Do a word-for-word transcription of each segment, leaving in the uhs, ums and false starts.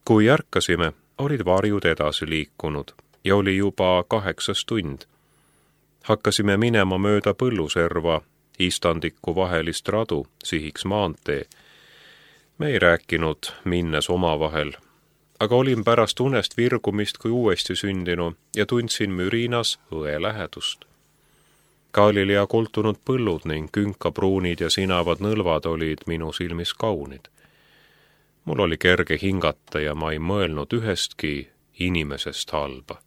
Kui ärkasime, olid varjud edasi liikunud ja oli juba kaheksas tund. Hakkasime minema mööda põlluserva, istandiku vahelist radu, sihiks maantee. Me ei rääkinud, minnes omavahel, aga olin pärast unest virgumist kui uuesti sündinu ja tundsin mürinas õe lähedust. Galilea koltunud põllud ning künkapruunid ja sinavad nõlvad olid minu silmis kaunid. Mul oli kerge hingata ja ma ei mõelnud ühestki inimesest halba.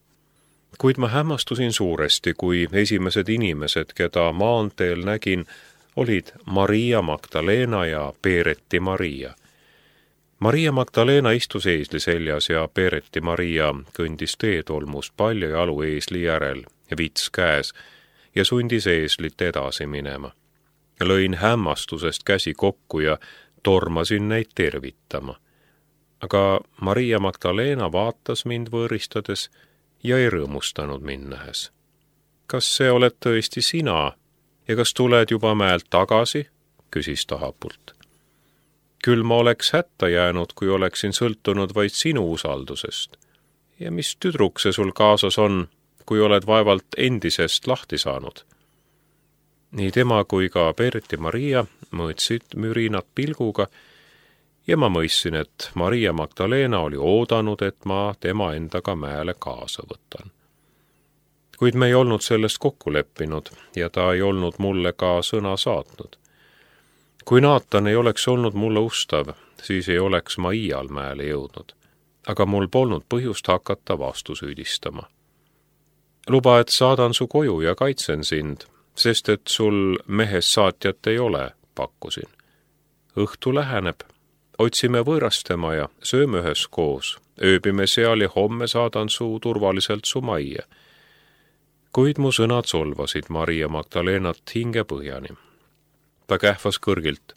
Kuid ma hämmastusin suuresti, kui esimesed inimesed, keda maanteel nägin, olid Maria Magdalena ja Peereti Maria. Maria Magdalena istus eesli seljas ja Peereti Maria kõndis teetolmust palju jalu eesli järel, vits käes, ja sundis eeslit edasi minema. Lõin hämmastusest käsi kokku ja tormasin neid tervitama. Aga Maria Magdalena vaatas mind võõristades ja ei rõõmustanud mind nähes. Kas see oled tõesti sina ja kas tuled juba mäelt tagasi? Küsis ta hapult. Küll ma oleks hätta jäänud, kui oleksin sõltunud vaid sinu usaldusest. Ja mis tüdruk see sul kaasas on, kui oled vaevalt endisest lahti saanud? Nii tema kui ka Peereti Maria mõõtsid mürinat pilguga ja ma mõistsin, et Maria Magdalena oli oodanud, et ma tema endaga mäele kaasa võtan. Kuid me ei olnud sellest kokku leppinud ja ta ei olnud mulle ka sõna saatnud. Kui Naatan ei oleks olnud mulle ustav, siis ei oleks ma iial mäele jõudnud, aga mul polnud põhjust hakata vastu süüdistama. Luba, et saadan su koju ja kaitsen sind, sest et sul mehes saatjat ei ole, pakkusin. Õhtu läheneb, otsime võõrastema ja sööme ühes koos, ööbime seal ja homme saadan su turvaliselt su majja. Kuid mu sõnad solvasid Maria Magdalenat hinge põhjani. Ta kähvas kõrgilt.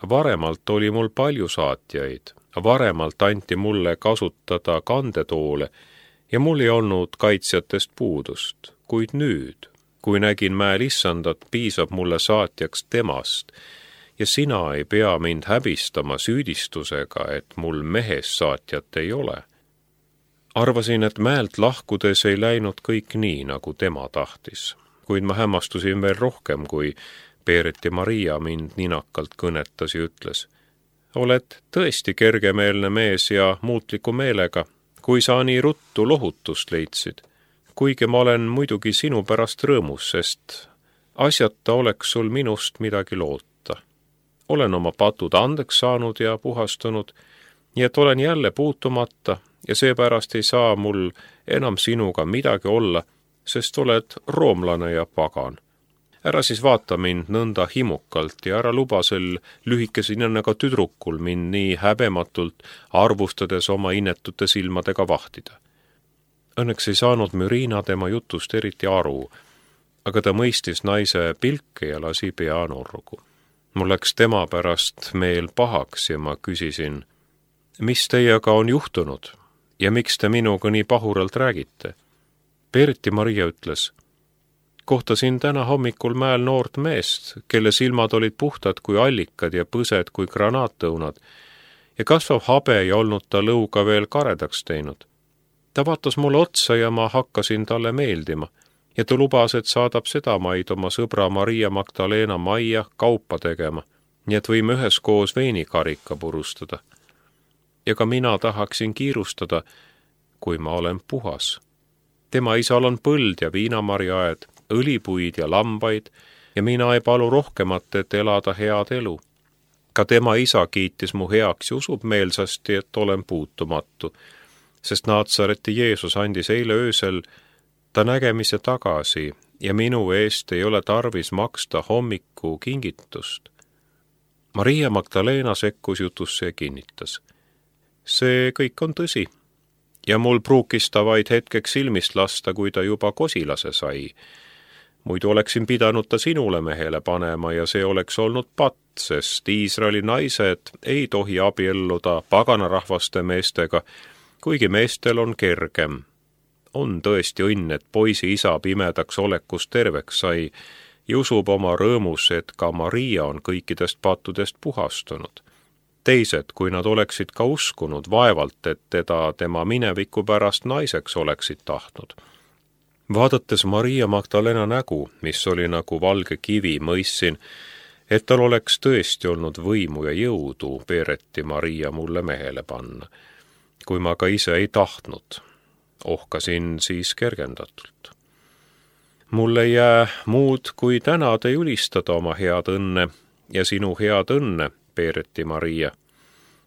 Varemalt oli mul palju saatjaid, varemalt anti mulle kasutada kandetoole ja mul ei olnud kaitsjatest puudust, kuid nüüd, kui nägin mäel issandat, piisab mulle saatjaks temast ja sina ei pea mind häbistama süüdistusega, et mul mehes saatjat ei ole. Arvasin, et mäelt lahkudes ei läinud kõik nii, nagu tema tahtis, kuid ma hämmastusin veel rohkem, kui Peereti Maria mind ninakalt kõnetas ja ütles. Oled tõesti kergemeelne mees ja muutliku meelega, kui sa nii ruttu lohutust leidsid. Kuigi ma olen muidugi sinu pärast rõõmus, sest asjata oleks sul minust midagi loota. Olen oma patud andeks saanud ja puhastunud, nii et olen jälle puutumata ja seepärast ei saa mul enam sinuga midagi olla, sest oled roomlane ja pagan. Ära siis vaata mind nõnda himukalt ja ära luba sel lühikese ninnaga tüdrukul mind nii häbematult arvustades oma inetute silmadega vahtida. Õnneks ei saanud Mürina tema jutust eriti aru, aga ta mõistis naise pilke ja lasi pea norgu. Mul läks tema pärast meel pahaks ja ma küsisin, mis teiega on juhtunud ja miks te minuga nii pahuralt räägite? Peereti Maria ütles, kohtasin täna hommikul mäel noort meest, kelle silmad olid puhtad kui allikad ja põsed kui granaattõunad ja kasvav habe ei olnud ta lõuga veel karedaks teinud. Ta vaatas mulle otsa ja ma hakkasin talle meeldima ja ta lubas, et saadab seda maid oma sõbra Maria Magdalena majja kaupa tegema, nii et võime üheskoos veinikarika purustada. Ja ka mina tahaksin kiirustada, kui ma olen puhas. Tema isal on põld ja viinamarjaaed, õlipuid ja lambaid ja mina ei palu rohkemat, et elada head elu. Ka tema isa kiitis mu heaks ja usub meelsasti, et olen puutumatu, sest Naatsareti Jeesus andis eile öösel ta nägemise tagasi ja minu eest ei ole tarvis maksta hommiku kingitust. Maria Magdalena sekkus jutusse ja kinnitas. See kõik on tõsi ja mul pruukis ta vaid hetkeks silmist lasta, kui ta juba kosilase sai. Muidu oleksin pidanud ta sinule mehele panema ja see oleks olnud patt, sest Iisraeli naised ei tohi abielluda paganarahvaste meestega, kuigi meestel on kergem. On tõesti õnn, et poisi isa pimedaks olekust terveks sai ja usub oma rõõmus, et ka Maria on kõikidest pattudest puhastunud. teised, kui nad oleksid ka uskunud, vaevalt, et teda tema mineviku pärast naiseks oleksid tahtnud. Vaadates Maria Magdalena nägu, mis oli nagu valge kivi, mõistsin, et tal oleks tõesti olnud võimu ja jõudu Peereti Maria mulle mehele panna. Kui ma ka ise ei tahtnud, ohkasin siis kergendatult. Mul ei jää muud, kui tänada ja ülistada oma head õnne ja sinu head õnne, Peereti Maria.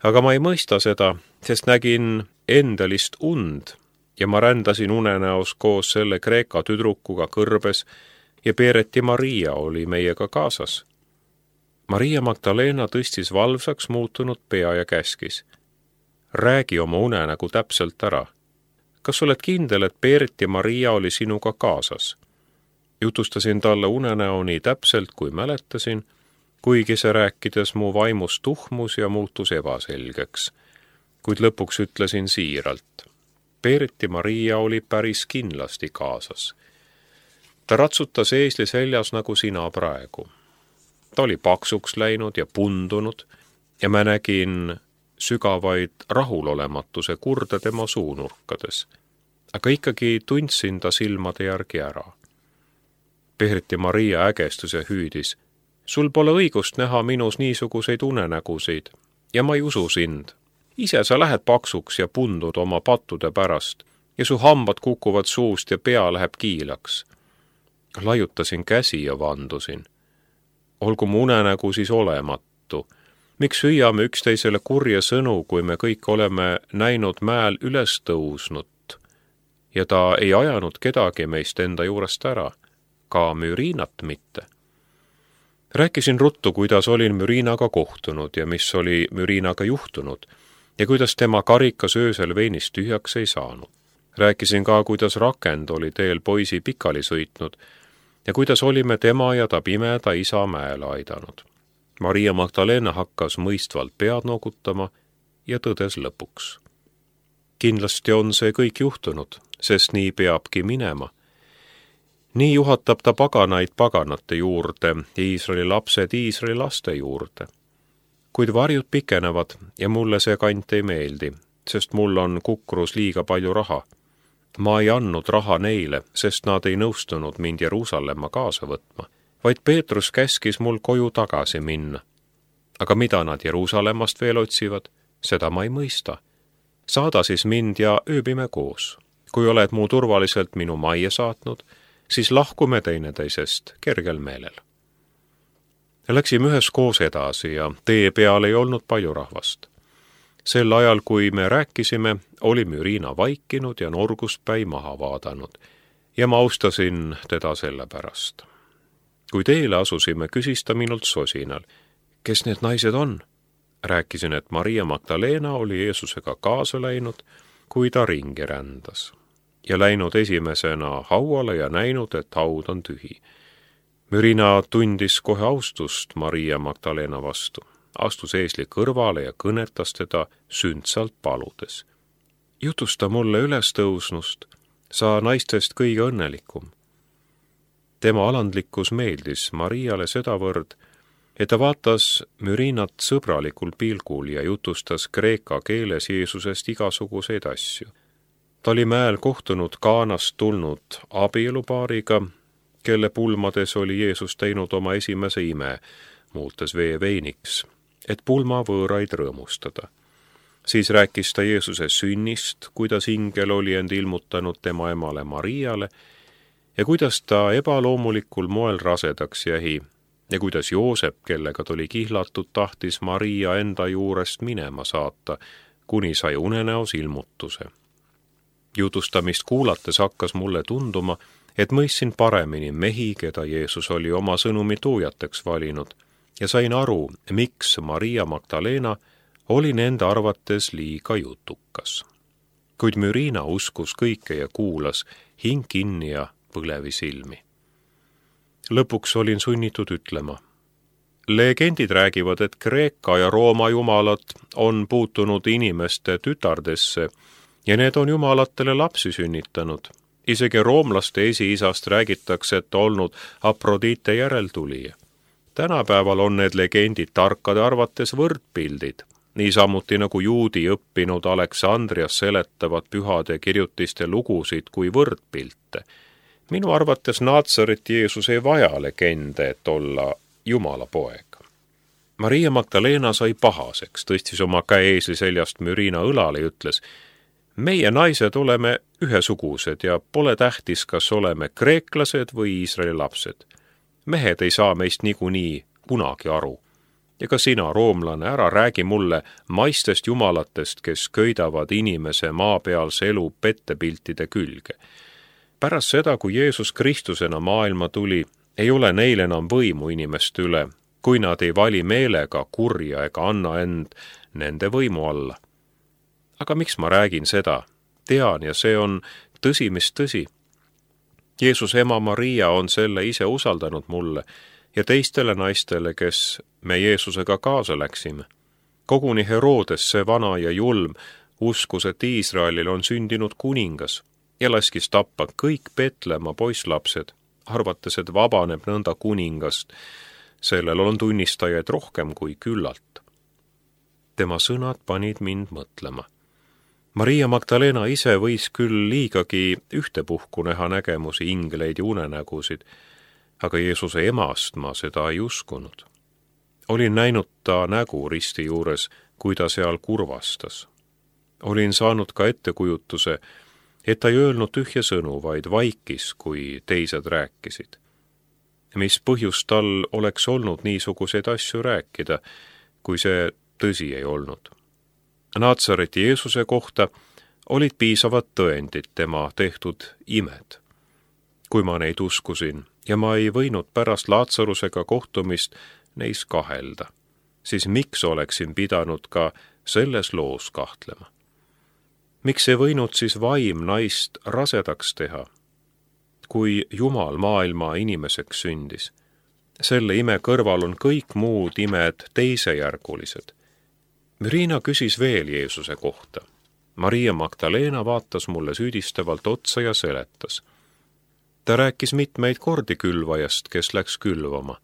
Aga ma ei mõista seda, sest nägin endalist und ja ma rändasin unenäos koos selle Kreeka tüdrukuga kõrbes ja Peereti Maria oli meiega kaasas. Maria Magdalena tõstis valvsaks muutunud pea ja käskis. Räägi oma unenägu täpselt ära. Kas oled kindel, et Peereti Maria oli sinuga kaasas? Jutustasin talle unenäo nii täpselt, kui mäletasin, kuigi see rääkides mu vaimus tuhmus ja muutus ebaselgeks. Kuid lõpuks ütlesin siiralt. Peereti Maria oli päris kindlasti kaasas. Ta ratsutas eesli seljas nagu sina praegu. Ta oli paksuks läinud ja pundunud ja mä nägin sügavaid rahulolematuse kurda tema suunurkades. Aga ikkagi tundsin ta silmade järgi ära. Peereti Maria ägestus ja hüüdis. Sul pole õigust näha minus niisuguseid unenägusid ja ma ei usu sind. Ise sa lähed paksuks ja pundud oma pattude pärast ja su hambad kukuvad suust ja pea läheb kiilaks. Laiutasin käsi ja vandusin. Olgu mu unenägu siis olematu. Miks hüüame üksteisele kurja sõnu, kui me kõik oleme näinud mäel üles tõusnud ja ta ei ajanud kedagi meist enda juurest ära, ka Mürinat mitte. Rääkisin ruttu, kuidas olin Mürinaga kohtunud ja mis oli Mürinaga juhtunud ja kuidas tema karikas öösel veinist tühjaks ei saanud. Rääkisin ka, kuidas rakend oli teel poisi pikali sõitnud ja kuidas olime tema ja ta pimeda isa mäele aidanud. Maria Magdalena hakkas mõistvalt pead noogutama ja tõdes lõpuks. Kindlasti on see kõik juhtunud, sest nii peabki minema. Nii juhatab ta paganaid paganate juurde ja Iisraeli lapsed Iisraeli laste juurde. Kuid varjud pikenevad ja mulle see kant ei meeldi, sest mul on kukrus liiga palju raha. Ma ei andnud raha neile, sest nad ei nõustunud mind Jeruusalemma kaasa võtma, vaid Peetrus käskis mul koju tagasi minna. Aga mida nad Jeruusalemmast veel otsivad, seda ma ei mõista. Saada siis mind ja ööbime koos. Kui oled mu turvaliselt minu majja saatnud, siis lahkume teineteisest kergel meelel. Läksime ühes koos edasi ja tee peal ei olnud palju rahvast. Sel ajal, kui me rääkisime, oli Mürina vaikinud ja norguspäi maha vaadanud ja ma austasin teda selle pärast. Kui teele asusime, küsis ta minult sosinal, kes need naised on? Rääkisin, et Maria Magdalena oli Jeesusega kaasa läinud, kui ta ringi rändas ja läinud esimesena hauale ja näinud, et haud on tühi. Mürina tundis kohe austust Maria Magdalena vastu, astus eesli kõrvale ja kõnetas teda sündsalt paludes. Jutusta mulle üles tõusnust, sa naistest kõige õnnelikum. Tema alandlikkus meeldis Mariale sedavõrd, et ta vaatas Mürinat sõbralikul pilgul ja jutustas kreeka keeles Jeesusest igasuguseid asju. Ta oli mäel kohtunud Kaanast tulnud abielupaariga, kelle pulmades oli Jeesus teinud oma esimese ime, muutes vee veiniks, et pulma võõraid rõõmustada. Siis rääkis ta Jeesuse sünnist, kuidas ingel oli end ilmutanud tema emale Mariale ja kuidas ta ebaloomulikul moel rasedaks jäi ja kuidas Joosep, kellega tuli kihlatud, tahtis Maria enda juurest minema saata, kuni sai unenäos ilmutuse. Jutustamist kuulates hakkas mulle tunduma, et mõistsin paremini mehi, keda Jeesus oli oma sõnumi tuujateks valinud ja sain aru, miks Maria Magdalena oli nende arvates liiga jutukas. Kuid Mürina uskus kõike ja kuulas, hing kinni ja põlevi silmi. Lõpuks olin sunnitud ütlema. Legendid räägivad, et Kreeka ja Rooma jumalad on puutunud inimeste tütardesse ja need on jumalatele lapsi sünnitanud. Isegi roomlaste esiisast räägitakse, et olnud Afrodite järeltulija. Tänapäeval on need legendid tarkade arvates võrdpildid, niisamuti nagu juudi õppinud Aleksandrias seletavad pühade kirjutiste lugusid kui võrdpilte. Minu arvates Naatsaret Jeesus ei vaja legende, et olla Jumala poeg. Maria Magdalena sai pahaseks, tõstis oma käe eesli seljast Mürina õlale ja ütles: meie naised oleme ühesugused ja pole tähtis, kas oleme kreeklased või Iisraeli lapsed. Mehed ei saa meist niikuinii kunagi aru. Ja ka sina, roomlane, ära räägi mulle maistest jumalatest, kes köidavad inimese maapealse elu pettepiltide külge. Pärast seda, kui Jeesus Kristusena maailma tuli, ei ole neil enam võimu inimeste üle, kui nad ei vali meelega kurja ega anna end nende võimu alla. Aga miks ma räägin seda? Tean, ja see on tõsi, mis tõsi. Jeesus ema Maria on selle ise usaldanud mulle ja teistele naistele, kes me Jeesusega kaasa läksime. Koguni Herodes, see vana ja julm, uskus, et Iisraelil on sündinud kuningas ja laskis tappa kõik Betlemma poisslapsed, arvates, et vabaneb nõnda kuningast. Sellel on tunnistajaid rohkem kui küllalt. Tema sõnad panid mind mõtlema. Maria Magdalena ise võis küll liigagi ühtepuhku näha nägemusi, ingleid ja unenägusid, aga Jeesuse emast ma seda ei uskunud. Olin näinud ta nägu risti juures, kui ta seal kurvastas. Olin saanud ka ettekujutuse, et ta ei öelnud tühja sõnu, vaid vaikis, kui teised rääkisid. Mis põhjus tal oleks olnud niisuguseid asju rääkida, kui see tõsi ei olnud. Naatsareti Jeesuse kohta olid piisavad tõendid tema tehtud imed. Kui ma neid uskusin ja ma ei võinud pärast Laatsarusega kohtumist neis kahelda, siis miks oleksin pidanud ka selles loos kahtlema? Miks ei võinud siis vaim naist rasedaks teha, kui Jumal maailma inimeseks sündis? Selle ime kõrval on kõik muud imed teisejärgulised. Mürina küsis veel Jeesuse kohta. Maria Magdalena vaatas mulle süüdistavalt otsa ja seletas. Ta rääkis mitmeid kordi külvajast, kes läks külvama.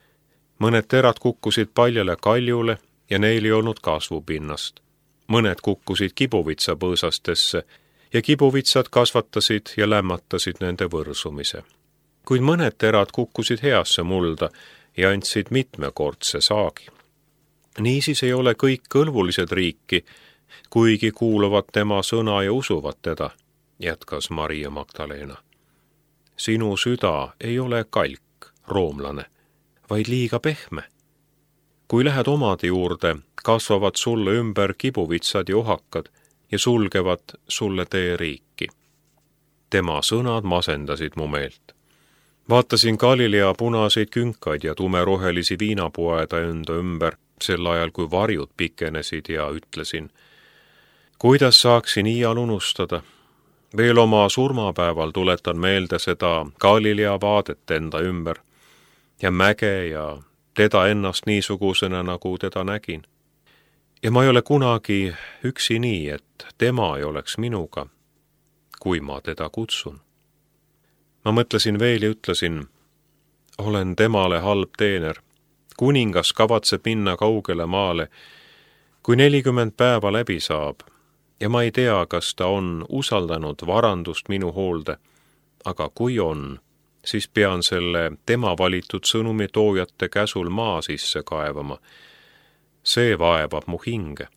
Mõned terad kukkusid paljale kaljule ja neil ei olnud kasvupinnast. Mõned kukkusid kibuvitsapõõsastesse ja kibuvitsad kasvatasid ja lämmatasid nende võrsumise. Kuid mõned terad kukkusid heasse mulda ja andsid mitmekordse saagi. Niisiis ei ole kõik kõlvulised riiki, kuigi kuuluvad tema sõna ja usuvad teda, jätkas Maria Magdalena. Sinu süda ei ole kalk, roomlane, vaid liiga pehme. Kui lähed omade juurde, kasvavad sulle ümber kibuvitsad ja ohakad ja sulgevad sulle tee riiki. Tema sõnad masendasid mu meelt. Vaatasin Galilea punaseid künkaid ja tumerohelisi viinapoeda enda ümber, sel ajal kui varjud pikenesid ja ütlesin, kuidas saaksin iial unustada? Veel oma surmapäeval tuletan meelde seda Galilea vaadet enda ümber ja mäge ja teda ennast niisugusena, nagu teda nägin. Ja ma ei ole kunagi üksi nii, et tema ei oleks minuga, kui ma teda kutsun. Ma mõtlesin veel ja ütlesin, olen temale halb teener. Kuningas kavatseb minna kaugele maale, kui nelikümmend päeva läbi saab, ja ma ei tea, kas ta on usaldanud varandust minu hoolde, aga kui on, siis pean selle tema valitud sõnumi toojate käsul maa sisse kaevama. See vaevab mu hinge.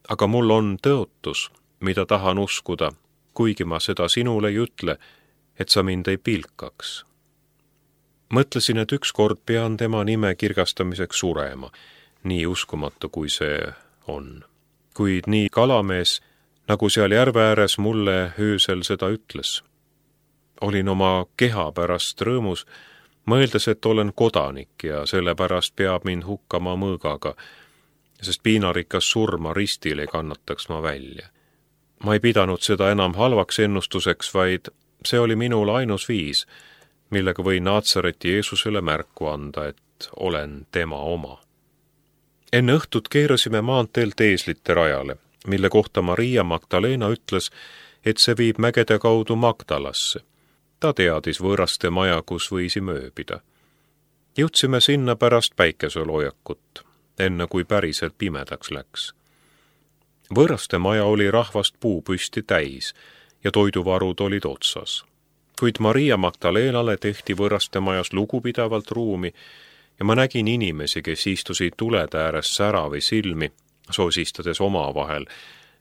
Aga mul on tõotus, mida tahan uskuda, kuigi ma seda sinule ei ütle, et sa mind ei pilkaks. Mõtlesin, et ükskord pean tema nime kirgastamiseks surema, nii uskumatu kui see on. Kuid nii kalamees, nagu seal järve ääres mulle öösel seda ütles. Olin oma keha pärast rõõmus, mõeldes, et olen kodanik ja sellepärast peab mind hukkama mõõgaga, sest piinarikas surma ristil ei kannataks ma välja. Ma ei pidanud seda enam halvaks ennustuseks, vaid see oli minul ainus viis, millega võin Naatsareti Jeesusele märku anda, et olen tema oma. Enne õhtut keerasime maanteelt eeslite rajale, mille kohta Maria Magdalena ütles, et see viib mägede kaudu Magdalasse. Ta teadis võõraste maja, kus võisime ööbida. Jõudsime sinna pärast päikeseloojakut, enne kui päriselt pimedaks läks. Võõraste maja oli rahvast puupüsti täis ja toiduvarud olid otsas. Kuid Maria Magdalenale tehti võõraste majas lugupidavalt ruumi ja ma nägin inimesi, kes istusid tulede ääres säravi silmi, sosistades omavahel,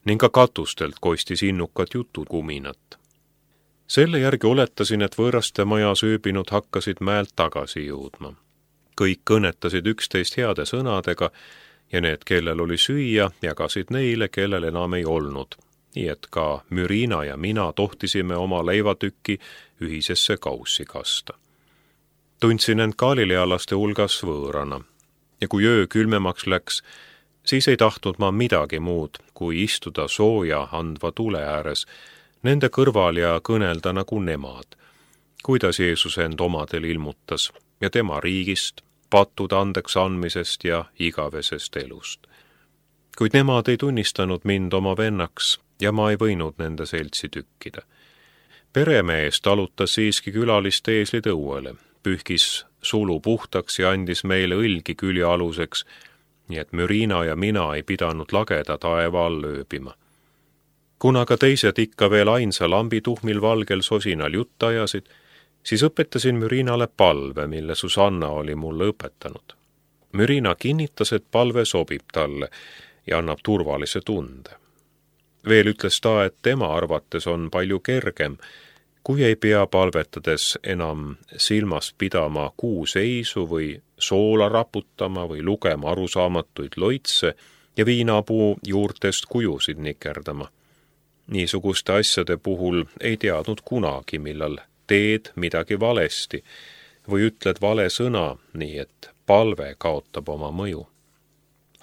ning ka katustelt kostis innukat jutukuminat. Selle järgi oletasin, et võõraste majas ööbinud hakkasid mäelt tagasi jõudma. Kõik kõnetasid üksteist heade sõnadega ja need, kellel oli süüa, jagasid neile, kellel enam ei olnud. Nii et ka Mürina ja mina tohtisime oma leivatükki ühisesse kaussi kasta. Tundsin end galilealaste hulgas võõrana ja kui öö külmemaks läks, siis ei tahtnud ma midagi muud, kui istuda sooja andva tule ääres, nende kõrval ja kõnelda nagu nemad, kuidas Jeesus end omadel ilmutas ja tema riigist, pattude andeks andmisest ja igavesest elust. Kuid nemad ei tunnistanud mind oma vennaks ja ma ei võinud nende seltsi tükkida. Peremees talutas siiski külaliste eeslid õuele, pühkis sulu puhtaks ja andis meile õlgi külja aluseks, nii et Mürina ja mina ei pidanud lageda taeva all ööbima. Kuna ka teised ikka veel ainsa lambi tuhmil valgel sosinal jutta ajasid, siis õpetasin Mürinale palve, mille Susanna oli mulle õpetanud. Mürina kinnitas, et palve sobib talle ja annab turvalise tunde. Veel ütles ta, et tema arvates on palju kergem, kui ei pea palvetades enam silmas pidama kuuseisu või soola raputama või lugema arusaamatuid loitse ja viinapuu juurtest kujusid nikerdama. Niisuguste asjade puhul ei teadnud kunagi, millal teed midagi valesti või ütled vale sõna, nii et palve kaotab oma mõju.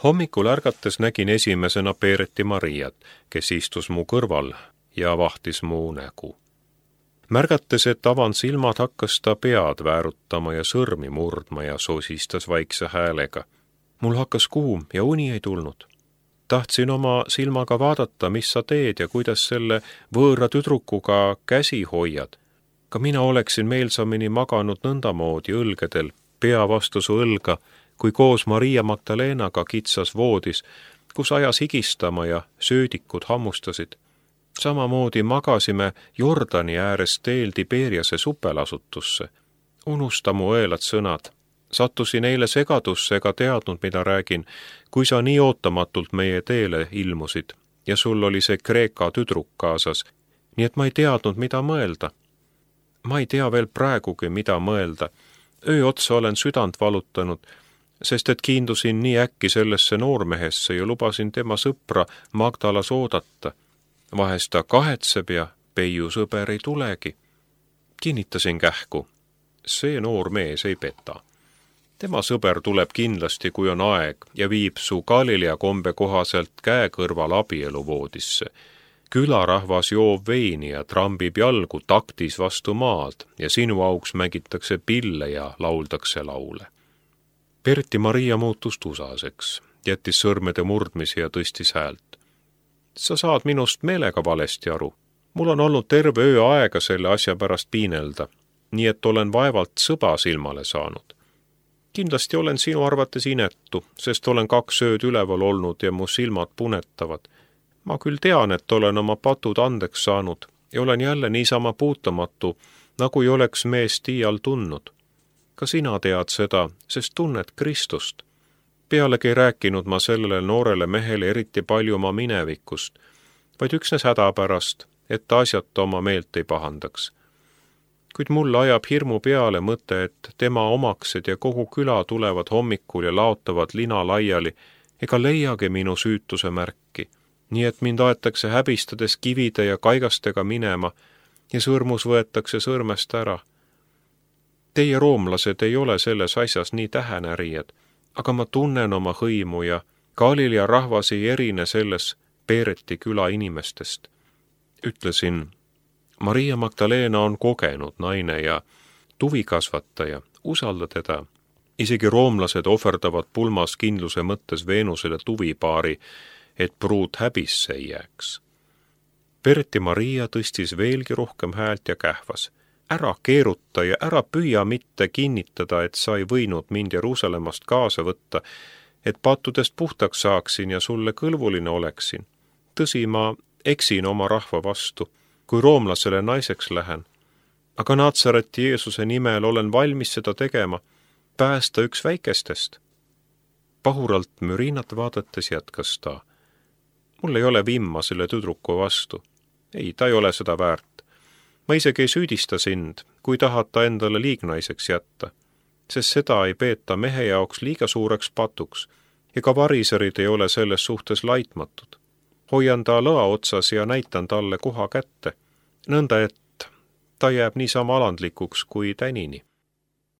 Hommikul ärgates nägin esimesena Peereti Mariat, kes istus mu kõrval ja vahtis mu nägu. Märgates, et avan silmad, hakkas ta pead väärutama ja sõrmi murdma ja sosistas vaikse häälega. Mul hakkas kuum ja uni ei tulnud. Tahtsin oma silmaga vaadata, mis sa teed ja kuidas selle võõra tüdrukuga käsi hoiad. Ka mina oleksin meelsamini maganud nõndamoodi õlgedel, pea vastu su õlga, kui koos Maria Magdalenaga kitsas voodis, kus ajas higistama ja söödikud hammustasid. Samamoodi magasime Jordani ääres teel Tiberiase supelasutusse. Unusta mu õelad sõnad. Sattusin eile segadusse ega teadnud, mida räägin, kui sa nii ootamatult meie teele ilmusid ja sul oli see Kreeka tüdruk kaasas, nii et ma ei teadnud, mida mõelda. Ma ei tea veel praegugi, mida mõelda. Öö otsa olen südant valutanud, sest et kiindusin nii äkki sellesse noormehesse ja lubasin tema sõpra Magdalas oodata. Vahest ta kahetseb ja Peiu sõber ei tulegi. Kinnitasin kähku. See noor mees ei peta. Tema sõber tuleb kindlasti, kui on aeg, ja viib su Galilea kombe kohaselt käe kõrval abieluvoodisse. Külarahvas joob veini ja trambib jalgu taktis vastu maad ja sinu auks mängitakse pille ja lauldakse laule. Perti Maria muutus tusaseks, jättis sõrmede murdmisi ja tõstis häält. Sa saad minust meelega valesti aru. Mul on olnud terve öö aega selle asja pärast piinelda, nii et olen vaevalt sõba silmale saanud. Kindlasti olen sinu arvates inetu, sest olen kaks ööd üleval olnud ja mu silmad punetavad. Ma küll tean, et olen oma patud andeks saanud ja olen jälle niisama puutumatu, nagu ei oleks meest iial tundnud. Ka sina tead seda, sest tunned Kristust. Pealegi ei rääkinud ma sellele noorele mehele eriti palju oma minevikust, vaid üksnes hädapärast, et ta asjata oma meelt ei pahandaks. Kuid mulle ajab hirmu peale mõte, et tema omaksed ja kogu küla tulevad hommikul ja laotavad lina laiali ega leiagi minu süütuse märki, nii et mind aetakse häbistades kivide ja kaigastega minema ja sõrmus võetakse sõrmest ära. Teie roomlased ei ole selles asjas nii tähenärijad, aga ma tunnen oma hõimu ja Galilea rahvas ei erine selles Peereti küla inimestest. Ütlesin, Maria Magdalena on kogenud naine ja tuvikasvataja, usalda teda. Isegi roomlased ohverdavad pulmas kindluse mõttes Veenusele tuvipaari, et pruut häbisse ei jääks. Perti Maria tõstis veelgi rohkem häält ja kähvas. Ära keeruta ja ära püüa mitte kinnitada, et sa ei võinud mind Jeruusalemmast kaasa võtta, et pattudest puhtaks saaksin ja sulle kõlvuline oleksin. tõsi, ma eksin oma rahva vastu, kui roomlasele naiseks lähen, aga Natsareti Jeesuse nimel olen valmis seda tegema, päästa üks väikestest. Pahuralt mürinat vaadates jätkas ta. Mul ei ole vimma selle tüdruku vastu. Ei, ta ei ole seda väärt. Ma isegi ei süüdista sind, kui tahad ta endale liignaiseks jätta, sest seda ei peeta mehe jaoks liiga suureks patuks, ega variserid ei ole selles suhtes laitmatud. Hoian ta lõa otsas ja näitan talle koha kätte, nõnda et ta jääb niisama alandlikuks kui tänini.